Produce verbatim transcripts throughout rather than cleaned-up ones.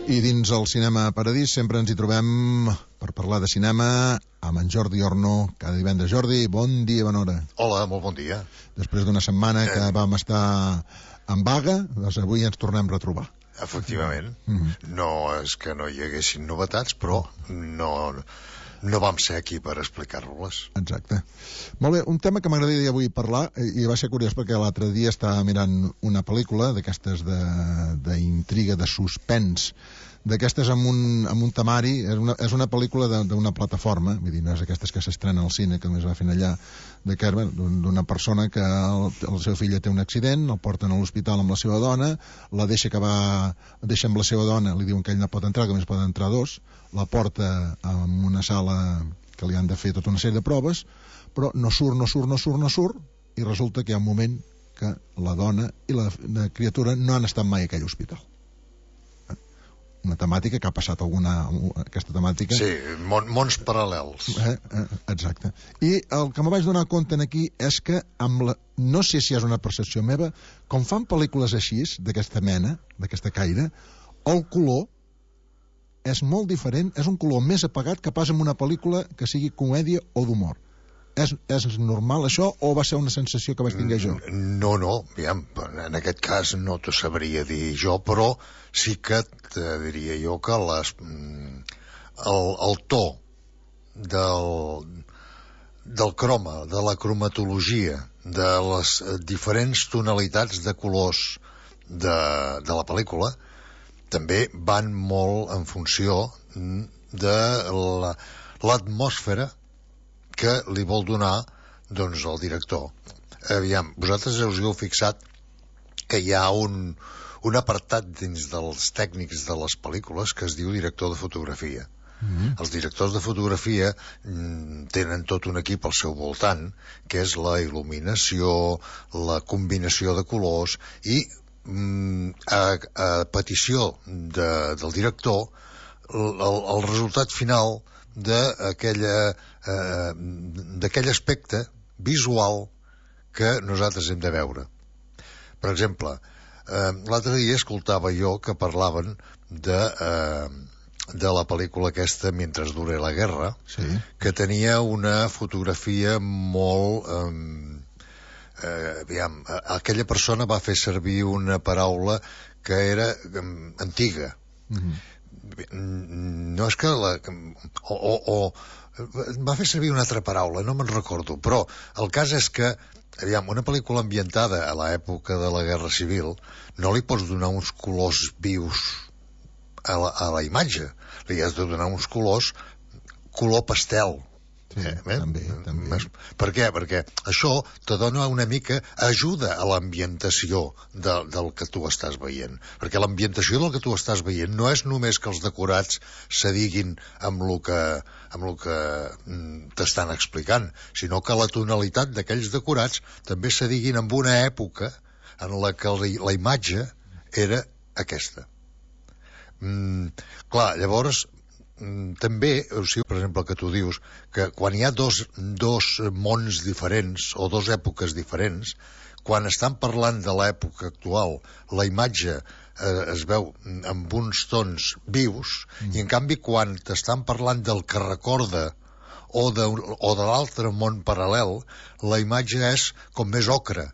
I dins el Cinema Paradís sempre ens hi trobem per parlar de cinema amb en Jordi Orno cada divendres. Jordi, bon dia, bona hora. Hola, molt bon dia. Després d'una setmana que eh... vam estar en vaga, doncs avui ens tornem a retrobar. Efectivament. Mm-hmm. No és que no hi haguessin novetats, però no, no vam ser aquí per explicar-les. Exacte. Molt bé, un tema que m'agradaria avui parlar, i va ser curiós perquè l'altre dia estava mirant una pel·lícula d'aquestes d'intriga, de, de suspens, d'aquestes amb un, amb un temari. És una, és una pel·lícula d'una plataforma, vull dir, no és d'aquestes que s'estrena al cine, que només va fent allà, d'una persona que el, el seu fill té un accident, el porten a l'hospital amb la seva dona, la deixa que va, deixa amb la seva dona, li diuen que ell no pot entrar, que només poden entrar dos, la porta en una sala que li han de fer tota una sèrie de proves, però no surt, no surt, no surt, no surt, i resulta que hi ha un moment que la dona i la, la criatura no han estat mai a aquell hospital. Una temàtica que ha passat alguna... aquesta temàtica... Sí, món, mons paral·lels. Eh, eh, exacte. I el que me vaig donar compte aquí és que, amb la, no sé si és una percepció meva, com fan pel·lícules així, d'aquesta mena, d'aquesta caire, el color és molt diferent, és un color més apagat que pas en una pel·lícula que sigui comèdia o d'humor. És, és normal això o va ser una sensació que vaig tinguer jo? No, no, aviam, en aquest cas no t'ho sabria dir jo, però sí que te diria jo que les, el, el to del, del croma, de la cromatologia, de les diferents tonalitats de colors de, de la pel·lícula també van molt en funció de l'atmosfera que li vol donar, doncs, el director. Aviam, vosaltres us heu fixat que hi ha un, un apartat dins dels tècnics de les pel·lícules que es diu director de fotografia. Mm-hmm. Els directors de fotografia mm, tenen tot un equip al seu voltant, que és la il·luminació, la combinació de colors, i mm, a, a petició de, del director, el, el resultat final d'aquella eh, d'aquell aspecte visual que nosaltres hem de veure. Per exemple, eh, l'altre dia escoltava jo que parlaven de, eh, de la pel·lícula aquesta Mentre dure la guerra, sí, que tenia una fotografia molt... Eh, eh, aviam, aquella persona va fer servir una paraula que era eh, antiga. Mm-hmm. No és que la, o, o, o va fer servir una altra paraula, no me'n recordo, però el cas és que, aviam, una pel·lícula ambientada a l'època de la Guerra Civil no li pots donar uns colors vius a la, a la imatge, li has de donar uns colors color pastel. Sí, eh, també, també. Per què? Perquè això te dona una mica ajuda a l'ambientació de, del que tu estàs veient, perquè l'ambientació del que tu estàs veient no és només que els decorats s'adiguin amb el que, amb el que mm, t'estan explicant, sinó que la tonalitat d'aquells decorats també s'adiguin amb una època en la que la, la imatge era aquesta. Mm, clar, llavors també, o sigui, per exemple, que tu dius que quan hi ha dos, dos mons diferents o dos èpoques diferents, quan estan parlant de l'època actual, la imatge eh, es veu amb uns tons vius, mm. i en canvi quan t'estan parlant del que recorda o de, o de l'altre món paral·lel, la imatge és com més ocre.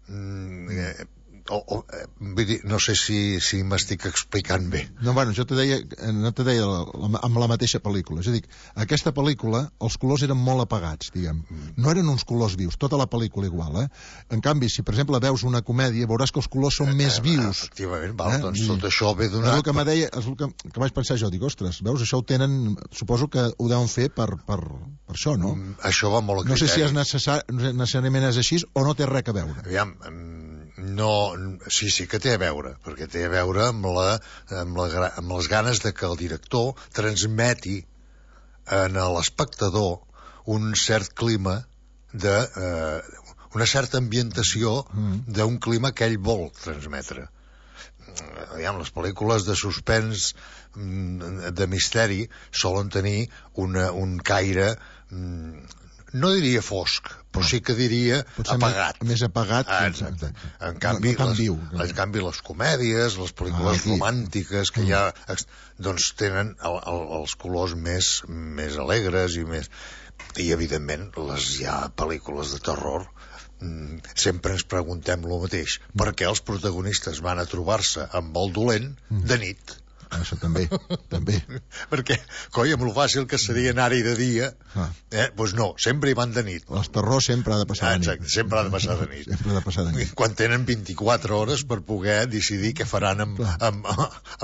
Mm, eh, O, o, vull dir, no sé si, si m'estic explicant bé. No, bueno, jo te deia, no te deia la, la, amb la mateixa pel·lícula. És a dir, aquesta pel·lícula, els colors eren molt apagats, diguem. No eren uns colors vius, tota la pel·lícula igual, eh? En canvi, si per exemple veus una comèdia, veuràs que els colors són eh, més vius. Efectivament, val, eh? Doncs tot això ve donat... És el que me deia, és el que, que vaig pensar jo, dic, ostres, veus, això ho tenen, suposo que ho deuen fer per, per, per això, no? Mm, això va molt a criteri. No sé si és necessari, necessàriament és així o no té res a veure. Aviam, no, sí, sí que té a veure, perquè té a veure amb, la, amb, la, amb les ganes de que el director transmeti en l'espectador un cert clima de, eh, una certa ambientació d'un clima que ell vol transmetre. Aviam, les pel·lícules de suspens, de misteri, solen tenir una, un caire no diria fosc, però sí que diria potser apagat. Més, més apagat. Ah, exacte. En canvi, no, no les, viu. en canvi, les comèdies, les pel·lícules ah, romàntiques que mm. hi ha, doncs tenen el, el, els colors més, més alegres i més... I, evidentment, les hi ha pel·lícules de terror. Mm, sempre ens preguntem el mateix. Mm. Per què els protagonistes van a trobar-se amb el dolent mm. de nit? Això també, també. Perquè, coi, amb el fàcil que seria anar-hi de dia, ah. eh, doncs no, sempre hi van de nit. El terror sempre ha de passar ah, de nit. Exacte, sempre ha de passar de nit. sempre ha de passar de nit. Quan tenen vint-i-quatre hores per poder decidir què faran amb, amb,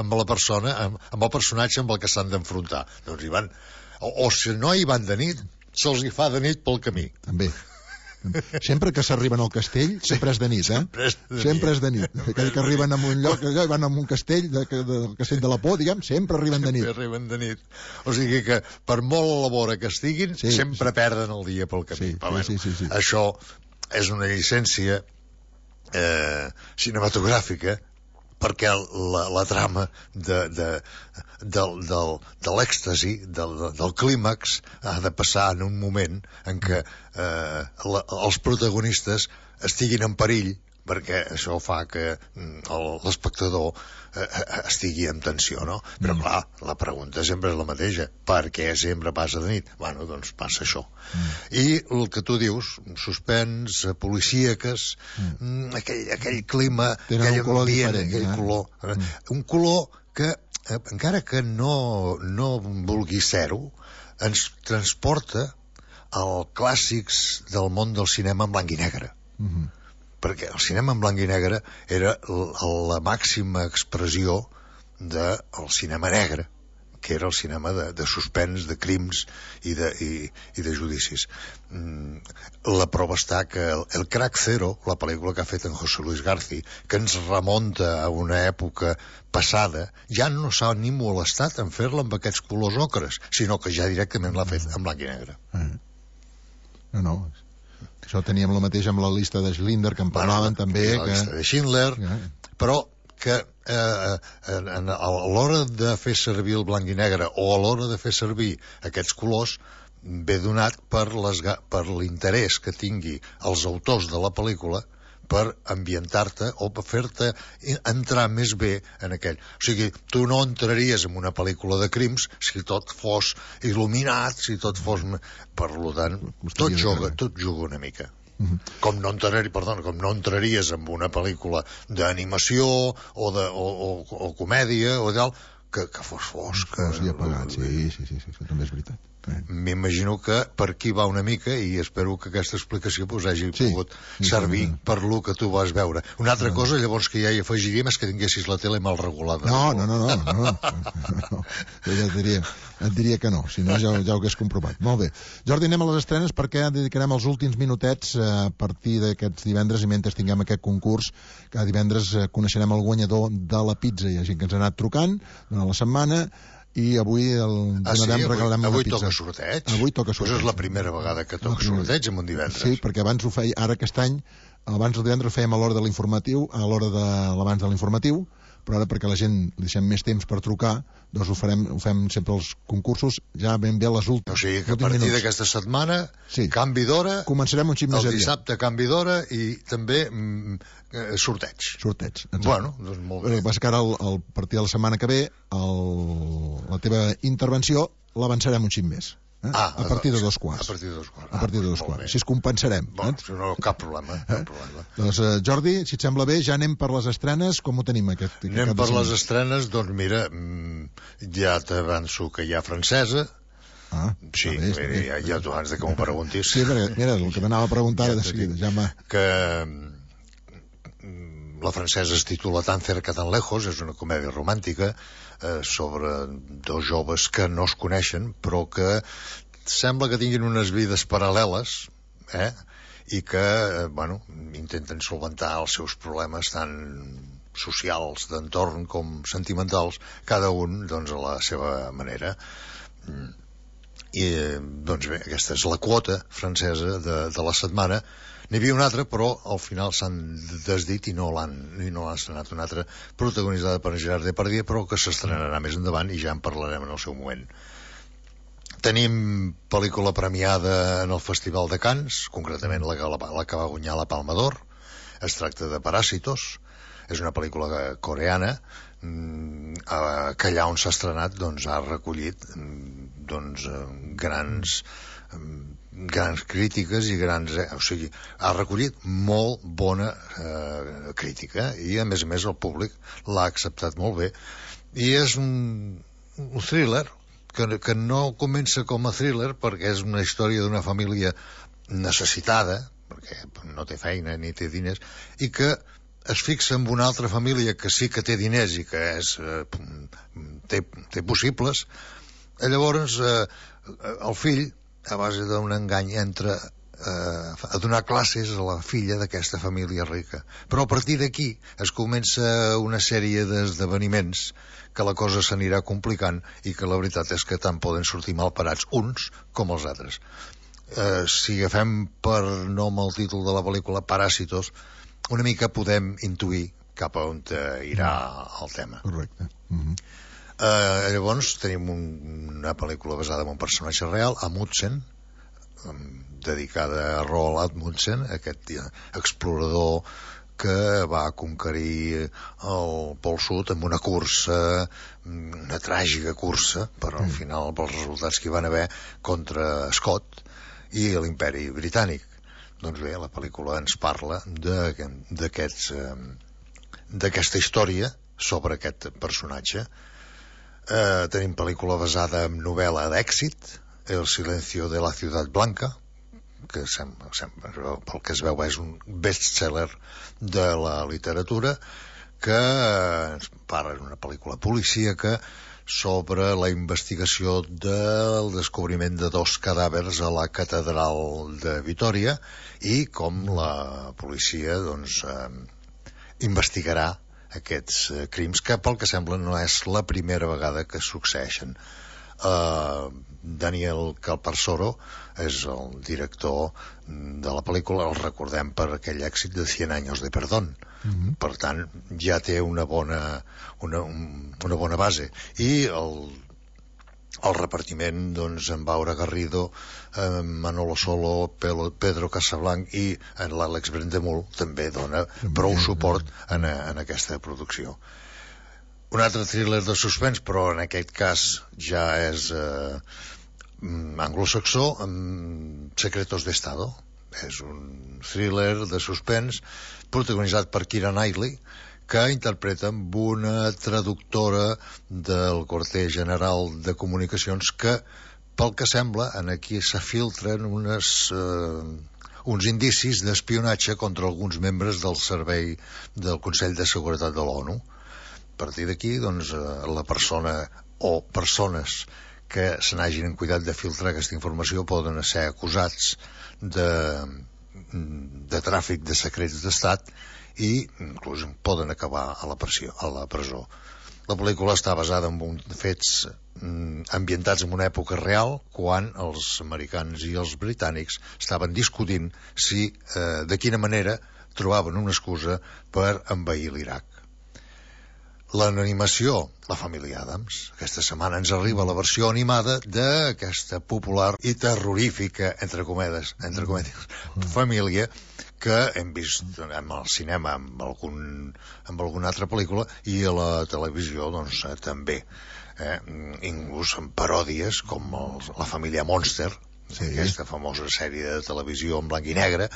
amb la persona, amb, amb el personatge amb el que s'han d'enfrontar. Doncs hi van... O, o si no hi van de nit, se'ls hi fa de nit pel camí. També. Sempre que s'arriben al castell, sempre és de nit, eh? Sempre és de nit. Sempre és de nit. Aquell que arriben a un lloc, allò, i van a un castell, de, de, del castell de la por, diguem, sempre arriben de nit. Sempre arriben de nit. O sigui que, per molt a la vora que estiguin, sí, sempre sí. perden el dia pel camí. Sí, Però, bueno, sí, sí, sí. Això és una llicència eh, cinematogràfica, perquè la, la trama de, de, del, del, de l'èxtasi, del, del clímax, ha de passar en un moment en què eh, la, els protagonistes estiguin en perill, perquè això fa que l'espectador eh, estigui en tensió, no? Però, mm. clar, la pregunta sempre és la mateixa. Per què sempre passa de nit? Bueno, doncs passa això. Mm. I el que tu dius, suspens, policíaques, mm. aquell, aquell clima, tenen aquell un color ambient, diferent, aquell eh? color. Mm. Un color que, eh, encara que no, no vulgui ser-ho, ens transporta als clàssics del món del cinema en blanc i negre. Mm-hmm. Perquè el cinema en blanc i negre era la màxima expressió del cinema negre, que era el cinema de, de suspens, de crims i de, i, i de judicis. Mm, la prova està que el, el Crack Zero, la pel·lícula que ha fet en José Luis García, que ens remunta a una època passada, ja no s'ha ni molestat en fer-la amb aquests colors ocres, sinó que ja directament l'ha fet en blanc i negre. Eh. No, no... Això teníem el mateix amb la llista de Schindler, que en parlaven bueno, també. La que... llista de Schindler, yeah. Però que eh, a l'hora de fer servir el blanc i negre o a l'hora de fer servir aquests colors ve donat per l'interès que tingui els autors de la pel·lícula per ambientar-te o per fer-te entrar més bé en aquell. O sigui, tu no entraries en una pel·lícula de crims si tot fos il·luminat, si tot fos... Per tant, tot juga, tot juga una mica. Mm-hmm. Com no entraries, perdona, com no entraries en una pel·lícula d'animació o, de, o, o, o comèdia o tal, que, que fos fosc. Que fos apagat, sí, sí, sí, sí, això també és veritat. M'imagino que per aquí va una mica i espero que aquesta explicació pues, hagi sí, pogut sí, servir sí, sí. per lo que tu vas veure. Una altra no. cosa, llavors, que ja hi afegiríem és que tinguessis la tele mal regulada. No, no, no, no, no, no. no. Jo ja et diria, et diria que no, si no ja, ja ho hagués comprovat. Molt bé. Jordi, anem a les estrenes perquè dedicarem els últims minutets a partir d'aquests divendres i mentre tinguem aquest concurs, cada divendres coneixerem el guanyador de la pizza. Hi ha gent que ens ha anat trucant durant la setmana i avui el ah, sí? avui, regalarem avui una pizza. Toca sorteig? Avui toca sorteig. Pues és la primera vegada que toca sorteig en un divendres. Sí, perquè abans ho feia, ara aquest any, abans del divendres ho fèiem a l'hora de l'informatiu, a l'hora de l'abans de l'informatiu, però ara perquè la gent li deixem més temps per trucar, doncs ho farem, ho fem sempre els concursos ja ben bé a les últimes. O sigui que a partir d'aquesta setmana, sí. canvi d'hora, començarem un xip més el dissabte canvi d'hora i també mm, sorteig. Sorteig, exacte. Bueno, doncs molt bé. El que passa que ara, el, el partir de la setmana que ve, el, la teva intervenció l'avançarem un xip més. Eh? Ah, a partir de dos quarts. A partir de dos quarts. A partir de dos quarts. Així es compensarem. Bon, eh? no, cap problema. Cap problema. Eh? Doncs, uh, Jordi, si et sembla bé, ja anem per les estrenes. Com ho tenim, aquest, aquest Anem per les estrenes, doncs mira, ja t'avanço que hi ha francesa. Ah, sí, bé, bé. ja, ja tu abans de que m'ho preguntis. Sí, perquè, mira, el que t'anava a preguntar ja de seguida, ja m'ha... Que la francesa es titula Tan cerca, tan lejos, és una comèdia romàntica eh, sobre dos joves que no es coneixen, però que sembla que tinguin unes vides paral·leles, eh? I que, eh, bueno, intenten solventar els seus problemes tant socials, d'entorn, com sentimentals, cada un, doncs, a la seva manera. I, doncs bé, aquesta és la quota francesa de, de la setmana. N'hi havia una altra, però al final s'han desdit i no l'han i no l'han estrenat. Una altra protagonitzada per Gerard Depardieu, però que s'estrenarà més endavant i ja en parlarem en el seu moment. Tenim pel·lícula premiada en el Festival de Cannes, concretament la, la, la que va guanyar la Palma d'Or. Es tracta de Parásitos. És una pel·lícula coreana eh, que allà on s'ha estrenat doncs, ha recollit doncs, grans, grans crítiques i grans... Eh, o sigui, ha recollit molt bona eh, crítica i, a més a més, el públic l'ha acceptat molt bé. I és un, un thriller que, que no comença com a thriller perquè és una història d'una família necessitada, perquè no té feina ni té diners, i que es fixa en una altra família que sí que té diners i que és, eh, té, té possibles. Llavors eh, el fill, a base d'un engany, entra eh, a donar classes a la filla d'aquesta família rica, però a partir d'aquí es comença una sèrie d'esdeveniments que la cosa s'anirà complicant i que la veritat és que tant poden sortir mal parats uns com els altres. Eh, si agafem per nom el títol de la pel·lícula Parásitos, una mica podem intuir cap a on irà el tema. Correcte. Uh-huh. Uh, llavors tenim un, una pel·lícula basada en un personatge real, Amundsen, um, dedicada a Roald Amundsen, aquest explorador que va conquerir el Pol Sud amb una cursa, una tràgica cursa, però al final pels resultats que hi van haver contra Scott i l'imperi britànic. Doncs bé, la pel·lícula ens parla d'aquests d'aquesta història sobre aquest personatge. Eh, tenim pel·lícula basada en novel·la d'èxit, El silencio de la ciudad blanca, que sembla, sembla, pel que es veu és un best-seller de la literatura, que ens parla d'una pel·lícula policíaca sobre la investigació del descobriment de dos cadàvers a la catedral de Vitòria i com la policia doncs, eh, investigarà aquests eh, crims, que pel que sembla no és la primera vegada que succeeixen. Uh, Daniel Calparsoro és el director de la pel·lícula, el recordem per aquell èxit de Cien años de perdón. Uh-huh. Per tant, ja té una bona, una, una bona base. I el, el repartiment, doncs, en Baura Garrido, eh, Manolo Solo, Pedro Casablanc i en l'Àlex Brendemul també dona prou suport en, en aquesta producció. Un altre thriller de suspens, però en aquest cas ja és eh, anglosaxó, amb Secretos de Estado. És un thriller de suspens protagonitzat per Keira Knightley, que interpreta amb una traductora del quarter general de comunicacions que, pel que sembla, en aquí s'afiltren unes, eh, uns indicis d'espionatge contra alguns membres del servei del Consell de Seguretat de l'ONU. A partir d'aquí, doncs, la persona o persones que se n'hagin cuidat de filtrar aquesta informació poden ser acusats de, de tràfic de secrets d'estat i inclús poden acabar a la, pressió, a la presó. La pel·lícula està basada en un, fets ambientats en una època real, quan els americans i els britànics estaven discutint si, eh, de quina manera trobaven una excusa per envair l'Iraq. L'animació, La família Addams. Aquesta setmana ens arriba la versió animada d'aquesta popular i terrorífica, entre cometes, entre cometes, família que hem vist en el cinema amb, algun, amb alguna altra pel·lícula i a la televisió doncs també. Eh? Inclús en paròdies com els, La família Monster, sí, aquesta famosa sèrie de televisió en blanc i negre,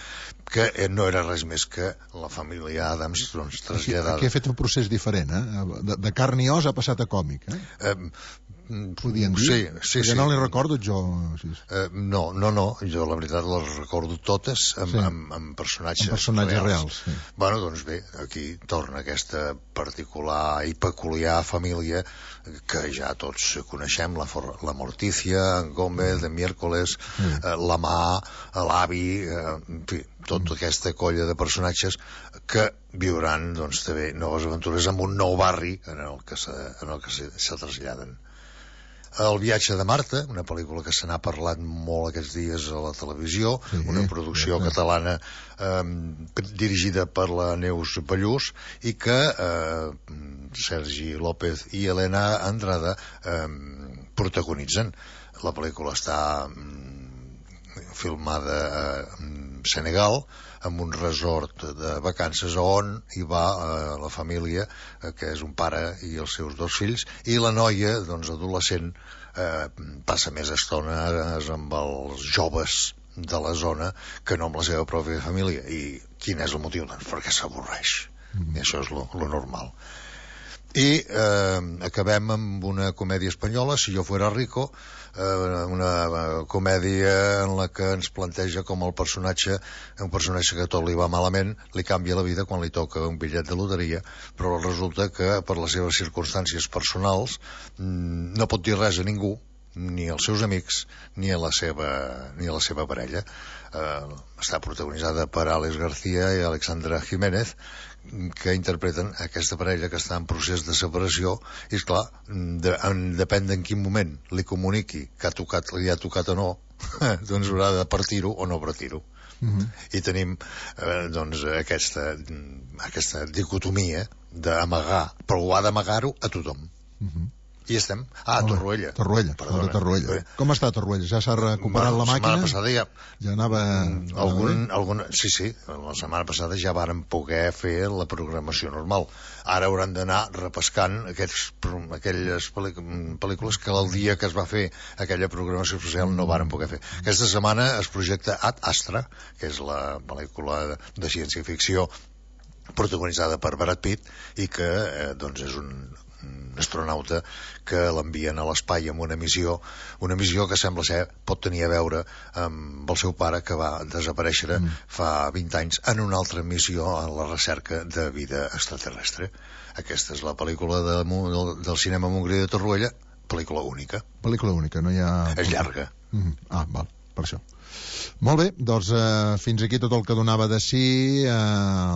que no era res més que la família Addams doncs, traslladada. Aquí, aquí ha fet un procés diferent, eh? De, de carn i os ha passat a còmic, eh? eh Podien dir? Sí, sí, ja sí. no li recordo jo. Sí. Eh, no, no, no, jo la veritat les recordo totes amb, sí. amb, amb personatges, amb personatges reals. reals sí. Bueno, doncs bé, aquí torna aquesta particular i peculiar família que ja tots coneixem, la, For la Morticia, en Gómez, en Miércoles, sí. eh, la Mà, l'avi, eh, en fi, tota mm. aquesta colla de personatges que viuran, doncs, també noves aventures en un nou barri en el que se, en el que se, se traslladen. El viatge de Marta, una pel·lícula que se n'ha parlat molt aquests dies a la televisió, sí, una producció sí, catalana eh, dirigida per la Neus Ballús i que eh, Sergi López i Helena Andrada eh, protagonitzen. La pel·lícula està mm, filmada a Senegal, amb un resort de vacances on hi va eh, la família, eh, que és un pare i els seus dos fills, i la noia, doncs, adolescent, eh, passa més estones amb els joves de la zona que no amb la seva pròpia família. I quin és el motiu? Doncs perquè s'avorreix. Mm. I això és lo, lo normal. I eh, acabem amb una comèdia espanyola, Si yo fuera rico, eh, una comèdia en la que ens planteja com el personatge, un personatge que tot li va malament, li canvia la vida quan li toca un bitllet de loteria, però resulta que per les seves circumstàncies personals no pot dir res a ningú, ni als seus amics, ni a la seva, ni a la seva parella. Eh, està protagonitzada per Àlex García i Alexandra Jiménez, que interpreten aquesta parella que està en procés de separació, i esclar, de, en, depèn d'en quin moment li comuniqui que ha tocat, li ha tocat o no, doncs haurà de partir-ho o no partir-ho. Uh-huh. I tenim eh, doncs aquesta, aquesta dicotomia d'amagar, però ho ha d'amagar-ho a tothom. Uh-huh. I estem... Ah, a Torroella. Torroella, perdona. Torroella. Com està Torroella? Ja s'ha recuperat bueno, la màquina? La setmana passada ja... Ja anava... Algun, algun... Sí, sí, la setmana passada ja varen poder fer la programació normal. Ara hauran d'anar repescant aquests, aquelles pel·lícules que el dia que es va fer aquella programació especial no varen poder fer. Aquesta setmana es projecta Ad Astra, que és la pel·lícula de ciència-ficció protagonitzada per Brad Pitt i que eh, doncs és un astronauta que l'envien a l'espai amb una missió, una missió que sembla ser pot tenir a veure amb el seu pare que va desaparèixer mm. fa vint anys en una altra missió a la recerca de vida extraterrestre. Aquesta és la pel·lícula de, del, del cinema Montgrí de Torroella, pel·lícula única. Pel·lícula única, no hi ha... És llarga. Mm. Ah, val, per això. Molt bé, doncs eh, fins aquí tot el que donava de si eh,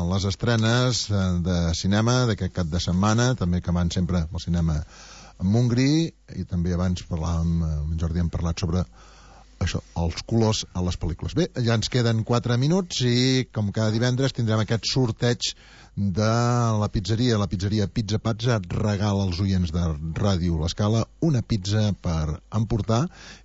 les estrenes eh, de cinema d'aquest cap de setmana, també que van sempre al cinema en Montgrí, i també abans parlàvem, amb en Jordi hem parlat sobre això, els colors a les pel·lícules. Bé, ja ens queden quatre minuts i com cada divendres tindrem aquest sorteig de la pizzeria, la pizzeria Pizza Pazza regala als oients de Ràdio L'Escala una pizza per emportar,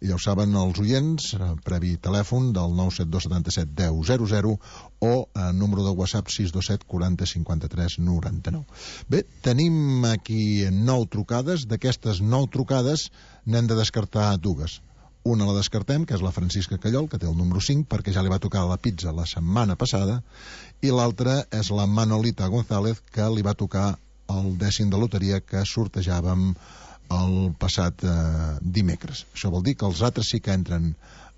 i ja ho saben els oients, previ telèfon del nou set dos set set deu zero zero o eh, número de WhatsApp sis dos set quaranta cinquanta-tres noranta-nou. Bé, tenim aquí nou trucades, d'aquestes nou trucades n'hem de descartar dues. Una la descartem, que és la Francisca Callol, que té el número cinc, perquè ja li va tocar la pizza la setmana passada, i l'altra és la Manolita González, que li va tocar el dècim de loteria que sortejàvem el passat eh, dimecres. Això vol dir que els altres sí que entren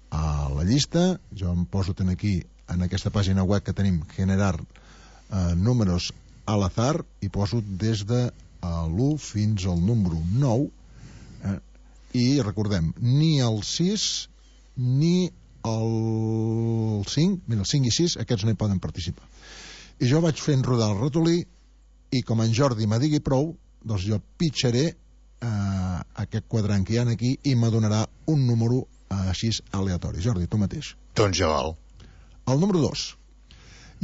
a la llista. Jo em poso ten aquí, en aquesta pàgina web que tenim, generar eh, números a l'azar, i poso des de l'u fins al número nou, eh, i recordem, ni el sis ni el cinc, mira, el cinc i sis, aquests no hi poden participar. I jo vaig fent rodar el ratolí, i com en Jordi me digui prou, doncs jo pitjaré eh, aquest quadrant que hi ha aquí i m'adonarà un número eh, així aleatori. Jordi, tu mateix. Doncs ja val. El número dos.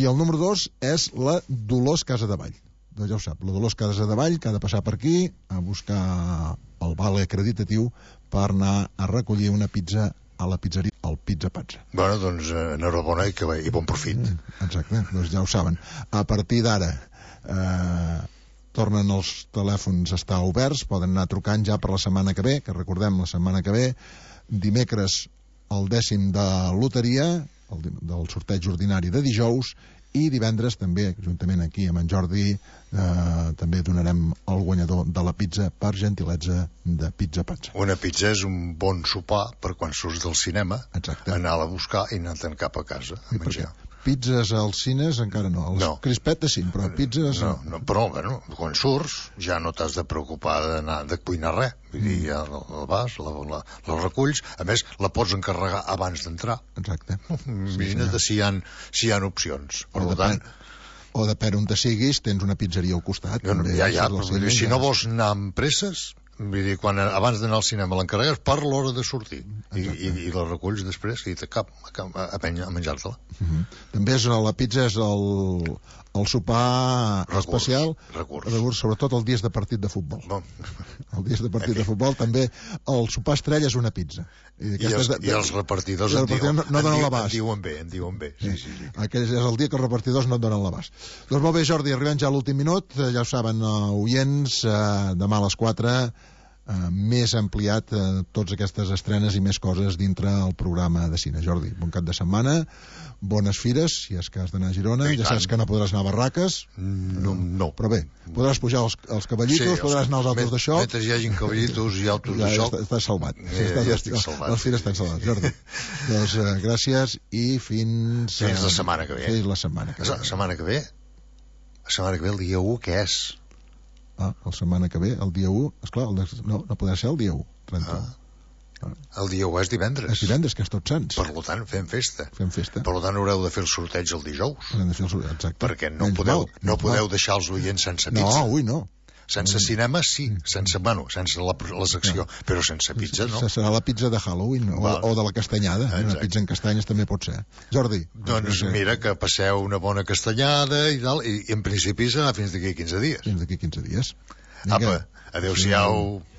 I el número dos és la Dolors Casadevall. Doncs ja ho sap, la Dolors Casadevall, que ha de passar per aquí a buscar el vale acreditatiu per anar a recollir una pizza a la pizzeria, al Pizza Pazza. Bueno, doncs enhorabona i, que, i bon profit. Exacte, doncs ja ho saben. A partir d'ara eh, tornen els telèfons a estar oberts, poden anar trucant ja per la setmana que ve, que recordem la setmana que ve, dimecres el dècim de loteria, el, del sorteig ordinari de dijous, i divendres també, juntament aquí amb en Jordi, eh, també donarem el guanyador de la pizza per gentilesa de Pizza Pazza. Una pizza és un bon sopar per quan surts del cinema. Exacte. Anar-la a buscar i anar-te'n cap a casa a menjar. Pizzas als cines encara no, els no. Crispetes sí, però pizzas no, no. Però bueno, quan surts ja no t'has de preocupar d'anar de cuinar res, vull dir, ja la vas, la, la, la reculls, a més la pots encarregar abans d'entrar. Exacte. Imagina't sí, si hi ha, si hi ha opcions. Per o tant, o depèn on te siguis, tens una pizzeria al costat. Jo, també, ja, ja, però cine, si ja no vols anar amb presses, vull dir, quan, abans d'anar al cinema l'encarregues per l'hora de sortir i, i, i la reculls després i te cap a, a, a menjar-te-la. Uh-huh. També és, la pizza és el, el sopar recurs, especial, recurs. recurs, sobretot els dies de partit de futbol. Bon. Els dies de partit de futbol també el sopar estrella és una pizza. I, I, els, de, de, i els repartidors, i els repartidors en, no, no en, donen diu, l'abast. En diuen bé, en diuen bé. Sí, sí, sí. Aquell és el dia que els repartidors no et donen l'abast. Doncs molt bé, Jordi, arribem ja a l'últim minut. Ja ho saben, uh, oients, uh, demà a les quatre, uh, més ampliat uh, totes aquestes estrenes i més coses dintre el programa de cine. Jordi, bon cap de setmana, bones fires, si és que has d'anar a Girona. I ja saps tant. que no podràs anar a Barraques. No, no. Però bé, podràs pujar els, els cavallitos, sí, podràs anar als autos de xoc. Mentre hi hagin cavallitos i autos ja, de xoc... Ja estàs salvat. Ja, sí, estàs, ja estic salvat. Les fires estan salvats, Jordi. Doncs uh, gràcies i fins... Uh, fins la setmana que ve. Fins la setmana que ve. La setmana que ve? La setmana que ve, el dia u, què és? Ah, la setmana que ve, el dia u... Esclar, el de, no, no podrà ser el dia u, trenta-u. Ah. El dia u és divendres. És divendres, que és Tots Sants. Per tant, fem festa. Fem festa. Per tant, haureu de fer el sorteig el dijous. Hem de fer el sorteig, exacte. Perquè no Menys podeu, mal, no podeu mal. deixar els oients sense pizza. No, avui no. Sense cinema, sí. Sense, bueno, sense la, la secció. No. Però sense pizza, no. Serà la pizza de Halloween o, o de la castanyada. Exacte. Una pizza en castanyes també pot ser. Jordi. Doncs mira, que passeu una bona castanyada i tal, i, i en principi serà fins d'aquí quinze dies. Fins d'aquí quinze dies. Vinga. Apa, adeu-siau. Sí.